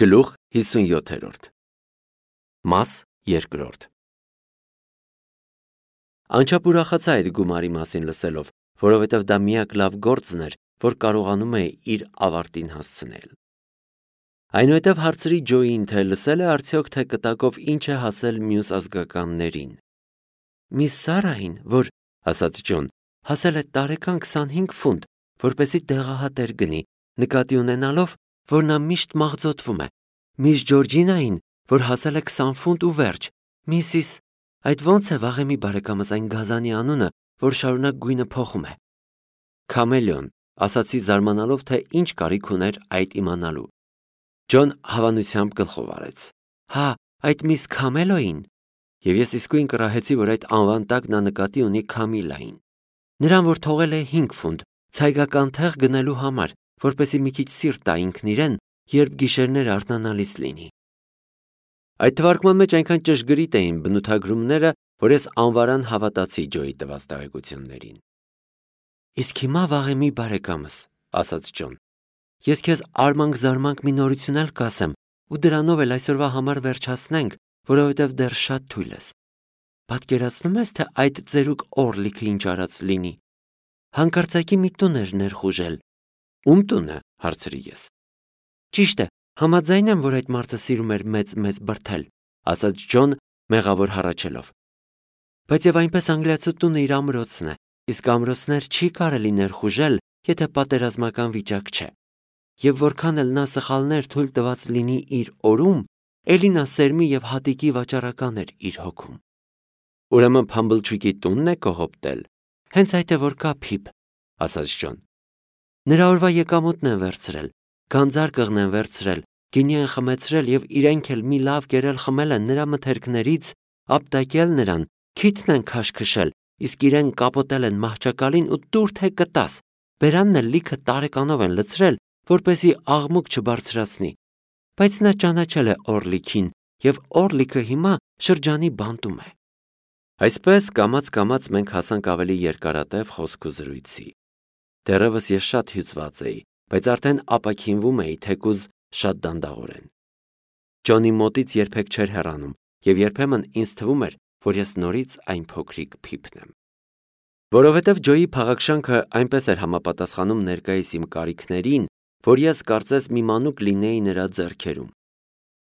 Գլուխ 57 Մաս 2 Անչափ ուրախացա այդ գումարի մասին լսելով, որովհետև դա միակ լավ գործն էր, որ կարողանում է իր ավարտին հասցնել։ Այնուհետև հարցրի Ջոյին, թե լսել է արդյոք, թե կտակով ինչ է հասել մյուս ազգականներին։ Միս Սարային, որ, ասաց Ջոն, հասել է տարեկան 25 ֆունտ, որպեսզի դեղահատեր գնի, նկատի ունենալով, որ նա միշտ մաղձոտվում է, միս Ջորջինային, որ հասել է 20 ֆունտ ու վերջ, միսիս, այդ ոնց է վաղեմի բարեկամս այն գազանի անունը, որ շարունակ գույնը փոխում է։ Քամելիոն, ասացի զարմանալով, թե ինչ կարիք ուներ այդ իմանալու։ Ջոն հավանությամբ գլխով արեց։ Հա, այդ միս Քամելոին։ Եվ ես իսկույն կռահեցի, որ այդ անվան տակ նա նկատի ունի Քամիլային։ Նրան, որ թողել է 5 ֆունտ, ցայգական թեղ գնելու համար, որպեսզի մի քիչ սիրտ տա ինքն իրեն, երբ գիշերները արթնանալիս լինի։ Այդ թվարկման մեջ այնքան ճշգրիտ էին բնութագրումները, որ ես անվարան հավատացի Ջոյի տված տեղեկություններին։ Իսկ հիմա վաղեմի բարեկամս, ասաց Ջոն, ես քեզ արմանք-զարմանք մի նորություն էլ կասեմ, ու դրանով էլ այսօրվա համար վերջացնենք, որովհետև դեռ շատ թույլ ես։ Պատկերացնում ես, թե այդ ծերուկ Օրլիքը ինչ արած լինի։ Հանկարծակի մի տուն էր ներխուժել։ Ում տունը, հարցրի ես։ Ճիշտ է, համաձայն եմ, որ այդ մարդը սիրում էր մեծ բրդել, ասաց Ջոն, մեղավոր հառաչելով։ Բայց եւ այնպես անգլիացու տունը իր ամրոցն է, իսկ ամրոցներ չի կարելի ներխուժել, եթե պատերազմական վիճակ չէ։ Եվ որքան էլ նա սխալներ թույլ տված լինի իր օրում, էլի նա սերմի եւ հատիկի վաճառական էր իր հոգում։ Ուրեմն Փամբլչուկի տունն է կողոպտել։ Հենց այդ է որ կա Փիփ, ասաց Ջոն։ Նրա օրվա եկամուտն են վերցրել, գանձարկղն են վերցրել, գինի են խմեցրել եւ իրենք էլ մի լավ կերել խմել են նրա մթերքներից, ապտակել նրան, քիթն են քաշքշել, իսկ իրեն կապոտել են մահճակալին ու տուր թե կտաս։ Բերանն էլ լիքը տարեկանով են լցրել, որպեսզի աղմուկ չբարձրացնի։ Բայց նա ճանաչել է Օրլիքին եւ Օրլիքը հիմա շրջանի բանտում է։ Այսպես կամաց մենք հասանք ավելի երկարատև խոսք ու զրույցի։ Դեռևս ես շատ հյուծված էի, բայց արդեն ապաքինվում էի, թեկուզ շատ դանդաղորեն։ Ջոնի մոտից երբեք չէր հեռանում, եւ երբեմն ինձ թվում էր, որ ես նորից այն փոքրիկ Փիփն եմ։ Որովհետև Ջոյի փաղաքշանքը այնպես էր համապատասխանում ներկայիս իմ կարիքներին, որ ես կարծես մի մանուկ լինեի նրա ձեռքերում։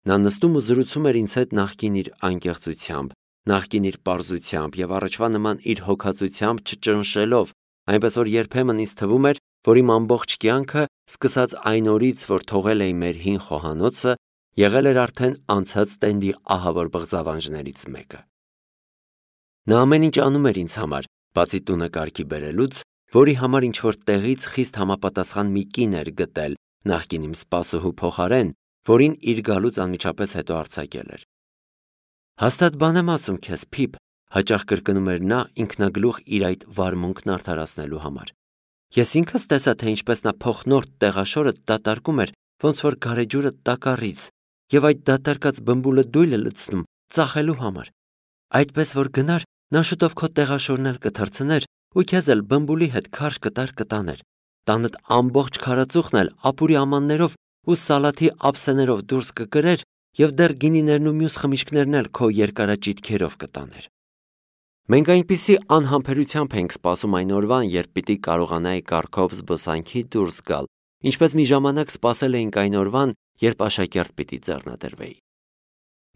Նա նստում ու զրուցում էր ինձ հետ նախկին իր անկեղծությամբ, նախկին իր պարզությամբ եւ առաջվա նման իր հոգացությամբ չճնշելով, այնպես որ երբեմն ինձ թվում էր, որ իմ ամբողջ կյանքը, սկսած այն օրից, որ թողել էի մեր հին խոհանոցը, եղել էր արդեն անցած տենդի ահավոր բղձավանջներից մեկը։ Նա ամեն ինչ անում էր ինձ համար, բացի տունը կարգի բերելուց, որի համար ինչ-որ տեղից խիստ համապատասխան մի կին էր գտել նախկին իմ սպասուհու փոխարեն, որին իր գալուց անմիջապես հետո արձակել էր։ Հաստատ բան եմ ասում քեզ, Փիփ, հաճախ կրկնում էր նա ինքնագլուխ իր այդ վարմունքն արդարացնելու համար։ Ես ինքս տեսա, թե ինչպես նա փոխնորդ տեղաշորը դատարկում էր, ոնց որ գարեջուրը տակառից, եւ այդ դատարկած բմբուլը դույլը լցնում ծախելու համար։ Այդպես որ գնար, նա շուտով քո տեղաշորն էլ կթռցներ ու քեզ էլ բմբուլի հետ քարշ կտաներ։ Տանդ ամբողջ քարածուխն էլ ապուրի ամաններով ու սալաթի ափսեներով դուրս կկրեր եւ դեռ գինիներն ու մյուս խմիչքներն էլ քո երկարաճիթքերով կտաներ։ Մենք այնպիսի անհամբերությամբ ենք սպասում այն օրվան, երբ պիտի կարողանայի կառքով զբոսանքի դուրս գալ, ինչպես մի ժամանակ սպասել էինք այն օրվան, երբ աշակերտ պիտի ձեռնադրվեի։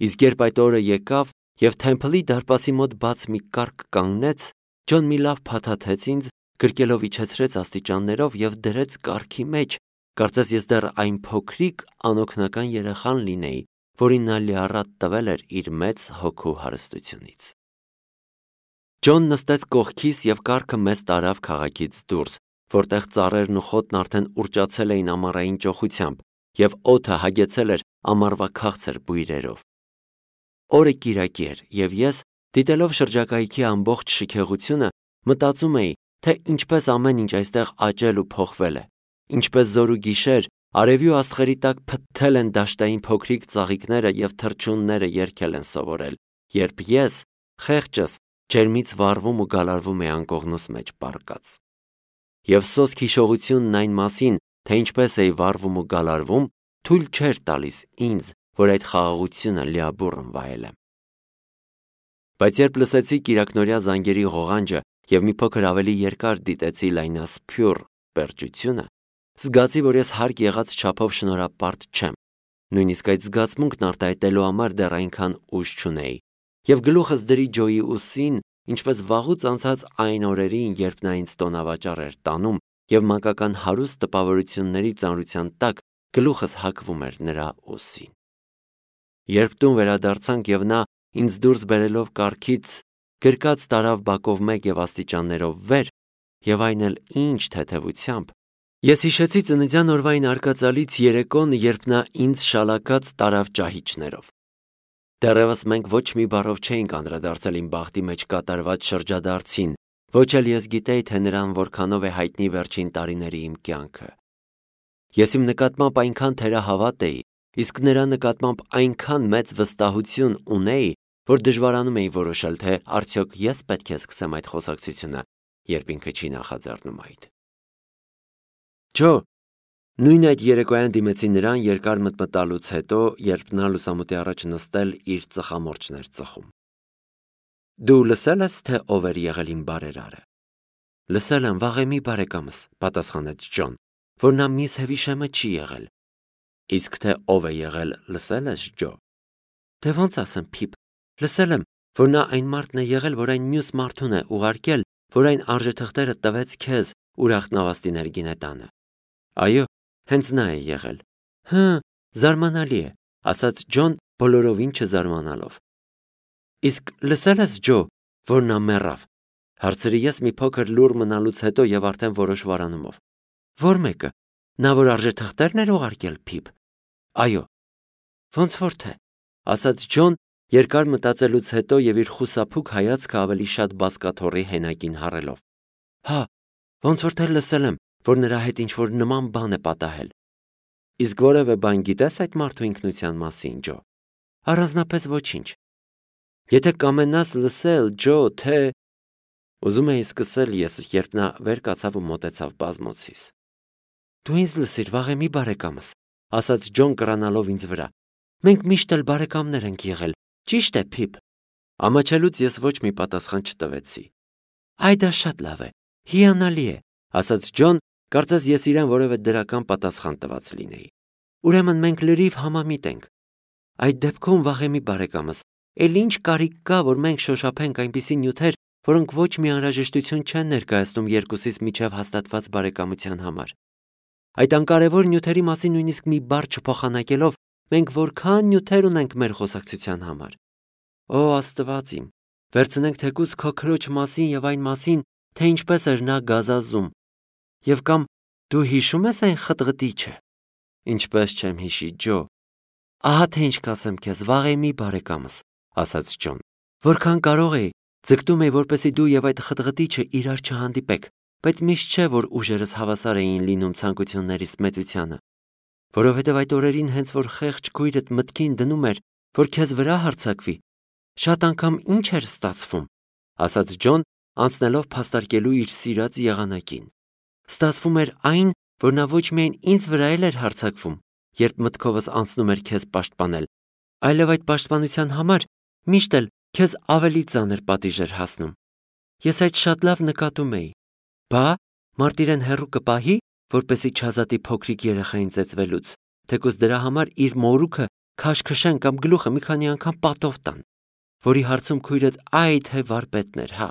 Իսկ երբ այդ օրը եկավ եւ Թեմփլի դարպասի մոտ բաց մի կառք կանգնեց, Ջոն մի լավ փաթաթեց ինձ, գրկելով իջեցրեց աստիճաններով եւ դրեց կառքի մեջ, կարծես ես դեռ այն փոքրիկ անօգնական երեխան լինեի, որին նա լիառատ տվել էր իր մեծ հոգու հարստությունից։ Ջոն նստեց կողքիս եւ կառքը մեզ տարավ քաղաքից դուրս, որտեղ ծառերն ու խոտն արդեն ուռճացել էին ամառային ճոխությամբ եւ օդը հագեցել էր ամառվա քաղցր բույրերով։ Օրը կիրակի էր եւ ես, դիտելով շրջակայքի ամբողջ շքեղությունը, մտածում էի, թե ինչպես ամեն ինչ այստեղ աճել ու փոխվել է, ինչպես զոր ու գիշեր արևի ու աստղերի տակ փթթել են դաշտային փոքրիկ ծաղիկները եւ թռչունները երգել են սովորել, երբ ես, խեղճս, ջերմից վառվում ու գալարվում էի անկողնուս մեջ պառկած։ Եվ սոսկ հիշողությունն այն մասին, թե ինչպես էի վառվում ու գալարվում, թույլ չէր տալիս ինձ, որ այդ խաղաղությունը լիաբուռն վայելեմ։ Բայց երբ լսեցի կիրակնօրյա զանգերի ղողանջը եւ մի փոքր ավելի երկար դիտեցի լայնասփյուռ պերճությունը, զգացի, որ ես հարկ եղած չափով շնորհապարտ չեմ, նույնիսկ այդ զգացմունքն արտահայտելու համար դեռ այնքան ուժ չունեի, եւ գլուխս դրի Ջոյի ուսին, ինչպես վաղուց անցած այն օրերին, երբ նա ինձ տոնավաճառ էր տանում եւ մանկական հարուստ տպավորությունների ծանրության տակ գլուխս հակվում էր նրա ուսին։ Երբ տուն վերադարձանք եւ նա ինձ դուրս բերելով կառքից գրկած տարավ բակով մեկ եւ աստիճաններով վեր, եւ այն էլ ինչ թեթևությամբ, ես հիշեցի ծննդյան օրվա այն արկածալից երեկոն, երբ նա ինձ շալակած տարավ ճահիճներով։ Դեռևս մենք ոչ մի բառով չէինք անդրադարձել իմ բախտի մեջ կատարված շրջադարձին, ոչ էլ ես գիտեի, թե նրան որքանով է հայտնի վերջին տարիների իմ կյանքը։ Ես իմ նկատմամբ այնքան թերահավատ էի, իսկ նրա նկատմամբ այնքան մեծ վստահություն ունեի, որ դժվարանում էի որոշել, թե արդյոք ես պետք է սկսեմ այդ խոսակցությունը, երբ ինքը չի նախաձեռնում այդ։ Ջո, նույն այդ երեկոյան դիմեցի նրան երկար մտմտալուց հետո, երբ նա լուսամուտի առաջ նստել իր ծխամորճն էր ծխում։ Դու լսել ես, թե ով էր եղել իմ բարերարը։ Լսել եմ, վաղեմի բարեկամս, պատասխանեց Ջոն, որ նա միս Հևիշեմը չի եղել։ Իսկ թե ով է եղել, լսել ես, Ջո։ Դե ոնց ասեմ, Փիփ, լսել եմ, որ նա այն մարդն է եղել, որ այն մյուս մարդուն է ուղարկել, որ այն արժեթղթերը տվեց քեզ ուրախ նավաստիներ գինետանը։ Այո, հենց նա է եղել։ Հը, զարմանալի է, ասաց Ջոն բոլորովին չզարմանալով։ Իսկ լսել ես, Ջո, որ նա մեռավ։ Հարցրի ես մի փոքր լուռ մնալուց հետո եւ արդեն որոշվարանումով։ Որ մեկը, նա որ արժեթղթերն էր ուղարկել, Փիփ։ Այո։ Ոնց որ թե, ասաց Ջոն երկար մտածելուց հետո եւ իր խուսափուկ հայացքը ավելի շատ բազկաթոռի հենակին հառելով։ Հա, ոնց որ թե լսել եմ, որ նրա հետ ինչ-որ նման բան է պատահել։ Իսկ որևէ բան գիտես այդ մարդու ինքնության մասին, Ջո։ Առանձնապես ոչինչ։ Եթե կամենաս լսել, Ջո, թե… Ուզում էի սկսել ես, երբ նա վեր կացավ ու մոտեցավ բազմոցիս։ Դու ինձ լսիր, վաղեմի բարեկամս, ասաց Ջոն կռանալով ինձ վրա։ Մենք միշտ էլ բարեկամներ ենք եղել, ճիշտ է, Փիփ։ Ամաչելուց ես ոչ մի պատասխան չտվեցի։ Այ դա շատ լավ է, հիանալի է, ասաց Ջոն, կարծես ես իրեն որևէ դրական պատասխան տված լինեի։ Ուրեմն մենք լրիվ համամիտ ենք։ Այդ դեպքում, վաղեմի բարեկամս, էլ ինչ կարիք կա, որ մենք շոշափենք այնպիսի նյութեր, որոնք ոչ մի անհրաժեշտություն չեն ներկայացնում երկուսից միջև հաստատված բարեկամության համար։ Այդ անկարևոր նյութերի մասին նույնիսկ մի բառ չփոխանակելով, մենք որքան նյութեր ունենք մեր խոսակցության համար։ Օ, Աստված իմ, վերցնենք թեկուզ քո քրոջ մասին եւ այն մասին, թե ինչպես էր նա գազազում։ Եվ կամ դու հիշում ես այն խտղտիչը։ Ինչպես չեմ հիշի, Ջո։ Ահա թե ինչ կասեմ քեզ, վաղեմի բարեկամս, ասաց Ջոն։ Որքան կարող էի, ձգտում էի, որպեսզի դու եւ այդ խտղտիչը իրար չհանդիպեք, բայց միշտ չէ, որ ուժերս հավասար էին լինում ցանկություններիս մեծությանը։ Որովհետև այդ օրերին հենց որ խեղճ քույրդ մտքին դնում էր, որ քեզ վրա հարձակվի, շատ անգամ ինչ էր ստացվում, ասաց Ջոն, անցնելով փաստարկելու իր սիրած եղանակին։ Ստացվում էր այն, որ նա ոչ միայն ինձ վրա էր հարձակվում, երբ մտքովս անցնում էր քեզ պաշտպանել, այլև այդ պաշտպանության համար միշտ էլ քեզ ավելի ծանր պատիժ էր հասնում։ Ես այդ շատ լավ նկատում էի։ Բա, մարտիրեն հեռու կպահի, որպեսի չազատի փոքրիկ երեխային ծեծվելուց, թեկուզ դրա համար իր մորուքը քաշքշեն կամ գլուխը մի քանի անգամ պատով տան, որի հարցում քույրդ այ թե վարպետն էր, հա։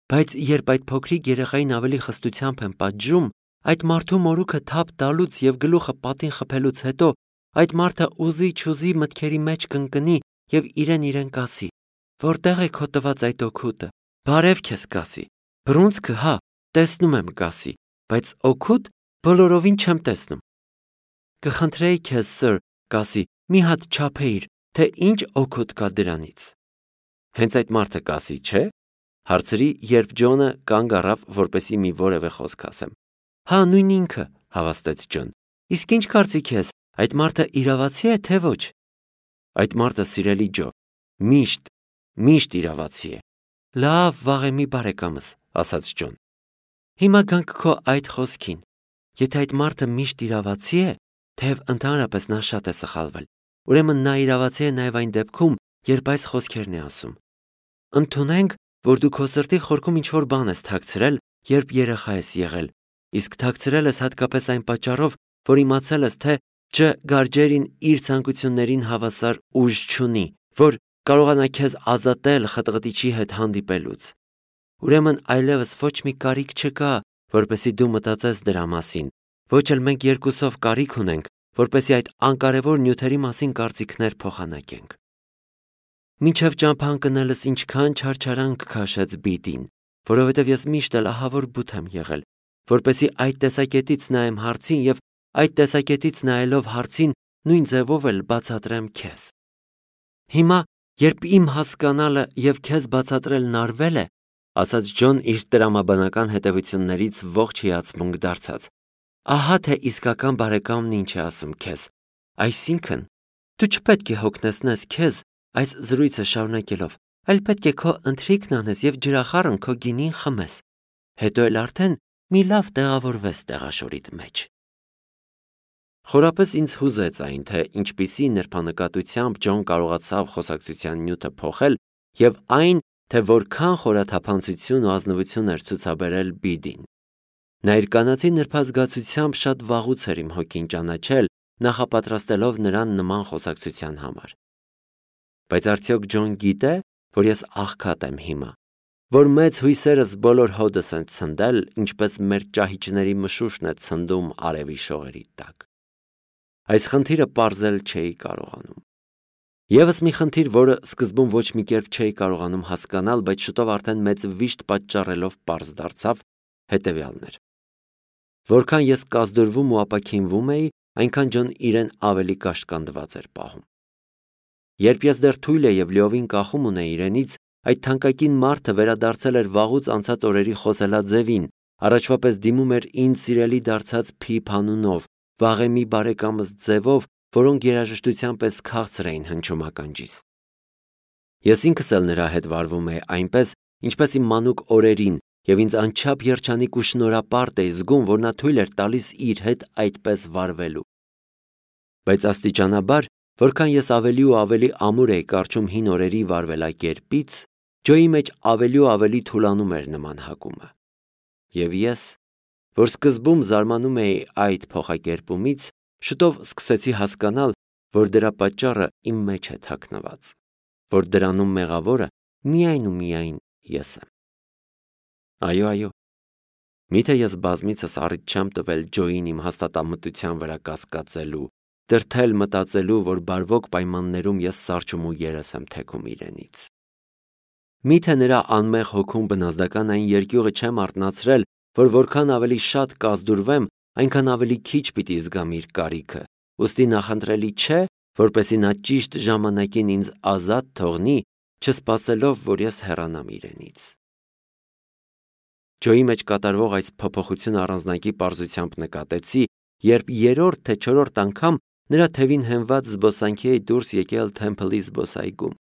Բայց երբ այդ փոքրիկ երեխային ավելի խստությամբ են պատժում, այդ մարդու մորուքը թափ տալուց եւ գլուխը պատին խփելուց հետո, այդ մարդը ուզի-չուզի մտքերի մեջ կընկնի եւ իրեն կասի. Որտեղ է քո տված այդ օգուտը։ Բարև քեզ կասի։ Բռունցքը, հա, տեսնում եմ կասի, բայց օգուտ բոլորովին չեմ տեսնում։ Կխնդրեի քեզ, սըր, կասի, մի հատ չափեիր, թե ինչ օգուտ կա դրանից։ Հենց այդ մարդը կասի, չէ՞։ Հարցրի, երբ Ջոնը կանգ առավ, որպեսի մի որևէ խոսք ասեմ։ Հա, նույն ինքը, հավաստեց Ջոն։ Իսկ ինչ կարծիք ես, այդ մարդը իրավացի է, թե ոչ։ Այդ մարդը, սիրելի Ջո, միշտ իրավացի է։ Լավ, վաղեմի բարեկամս, ասաց Ջոն։ Հիմա գանք քո այդ խոսքին։ Եթե այդ մարդը միշտ իրավացի է, թեև ընդհանրապես նա շատ է սխալվել, ուրեմն նա իրավացի է նաև այն դեպքում, երբ այս խոսքերն է ասում։ Ընդունենք, որ դու քո սրտի խորքում ինչ-որ բան ես թաքցրել, երբ երեխա ես եղել, իսկ թաքցրել ես հատկապես այն պատճառով, որ իմացել ես, թե Գարջերին իր ցանկություններին հավասար ուժ չունի, որ կարողանա քեզ ազատել խտղտիչի հետ հանդիպելուց։ Ուրեմն այլևս ոչ մի կարիք չկա, որպեսզի դու մտածես դրա մասին, ոչ էլ մենք երկուսով կարիք ունենք, որպեսզի այդ անկարևոր նյութերի մասին կարծիքներ փոխանակենք։ Մինչև ճամփա ընկնելս ինչքան չարչարանք քաշեց Բիդին, որովհետև ես միշտ էլ ահավոր բութ եմ եղել, որպեսզի այդ տեսակետից նայեմ հարցին եւ այդ տեսակետից նայելով հարցին նույն ձևով էլ բացատրեմ քեզ։ Հիմա, երբ իմ հասկանալը եւ քեզ բացատրելն արվել է, ասաց Ջոն իր տրամաբանական հետևություններից ողջ հիացմունք դարձած, ահա թե իսկական բարեկամն ինչ է ասում քեզ։ Այսինքն, դու չպետք է հոգնեցնես քեզ այս զրույցը շարունակելով, այլ պետք է քո ընթրիքն անես եւ ջրախառն քո գինին խմես, հետո էլ արդեն մի լավ տեղավորվես տեղաշորիդ մեջ։ Խորապես ինձ հուզեց այն, թե ինչպիսի նրբանկատությամբ Ջոն կարողացավ խոսակցության նյութը փոխել եւ այն, թե որքան խորաթափանցություն ու ազնվություն էր ցուցաբերել Բիդին։ Նա իր կանացի նրբազգացությամբ շատ վաղուց էր իմ հոգին ճանաչել, նախապատրաստելով նրան նման խոսակցության համար։ Բայց արդյոք Ջոն գիտե, որ ես աղքատ եմ հիմա, որ մեծ հույսերս բոլոր հոդս են ցնդել, ինչպես մեր ճահիճների մշուշն է ցնդում արևի շողերի տակ։ Այս խնդիրը պարզել չէի կարողանում։ Եվս մի խնդիր, որը սկզբում ոչ մի կերպ չէի կարողանում հասկանալ, բայց շուտով արդեն մեծ վիշտ պատճառելով պարզ դարձավ, հետևյալն էր։ Որքան ես կազդուրվում ու ապաքինվում էի, այնքան Ջոն իրեն ավելի կաշկանդված էր պահում։ Երբ ես դեռ թույլ եւ լիովին կախում ունեի իրենից, այդ թանկագին մարդը վերադարձել էր վաղուց անցած օրերի խոսելաձևին, առաջվա պես դիմում էր ինձ սիրելի դարձած Փիփ անունով, վաղեմի բարեկամս ձևով, որոնք երաժշտության պես քաղցր էին հնչում ականջիս։ Ես ինքս էլ նրա հետ վարվում էի այնպես, ինչպես իմ մանուկ օրերին, եւ ինձ անչափ երջանիկ ու շնորհապարտ էի զգում, որ նա թույլ էր տալիս իր հետ այդպես վարվելու։ Բայց աստիճանաբար, որքան ես ավելի ու ավելի ամուր էի կարճում հին օրերի վարվելակերպից, Ջոյի մեջ ավելի ու ավելի թուլանում էր նման հակումը։ Եվ ես, որ սկզբում զարմանում էի այդ փոխակերպումից, շուտով սկսեցի հասկանալ, որ դրա պատճառը իմ մեջ է թաքնված, որ դրանում մեղավորը միայն ու միայն ես եմ։ Այո, միթե ես բազմիցս առիթ չեմ տվել Ջոյին իմ հաստատամտության վրա կասկածելու, դրդել մտածելու, որ բարվոք պայմաններում ես սարճում ու երես եմ թեքում իրենից։ Միթե նրա անմեղ հոգում բնազդական այն երկյուղը չեմ արթնացրել, որ որքան ավելի շատ կազդուրվեմ, այնքան ավելի քիչ պիտի զգամ իր կարիքը, ուստի նախընտրելի չէ, որպեսզի նա ճիշտ ժամանակին ինձ ազատ թողնի, չսպասելով, որ ես հեռանամ իրենից։ Ջոյի մեջ կատարվող այս փոփոխությունը առանձնակի պարզությամբ նկատեցի, երբ երրորդ թե չորրորդ անգամ նրա թևին հենված զբոսանքի էի դուրս եկել Թեմփլի զբոսայգում։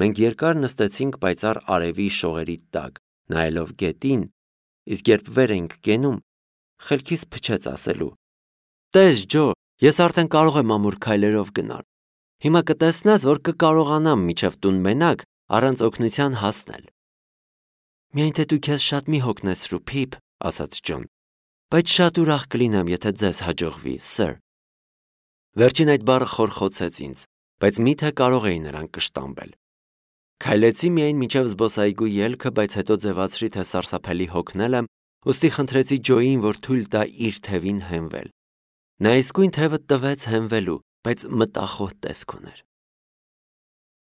Մենք երկար նստեցինք պայծառ արևի շողերի տակ, նայելով գետին, իսկ երբ վեր էինք կենում, խելքիս փչեց ասելու. «Տես Ջո, ես արդեն կարող եմ ամուր քայլերով գնալ։ Հիմա կտեսնես, որ կկարողանամ մինչև տուն մենակ առանց օգնության հասնել»։ «Միայն թե դու քեզ շատ մի հոգնեցրու, Փիփ», ասաց Ջոն, «բայց շատ ուրախ կլինեմ, եթե ձեզ հաջողվի, սըր»։ Վերջին այդ բառը խորխոցեց ինձ, բայց միթե կարող էի նրան կշտամբել։ Քայլեցի միայն մինչև զբոսայգու ելքը, բայց հետո ձևացրի, թե սարսափելի հոգնել եմ, ուստի խնդրեցի Ջոյին, որ թույլ տա իր թևին հենվել։ Նա իսկույն թևը տվեց հենվելու, բայց մտախոհ տեսք ուներ։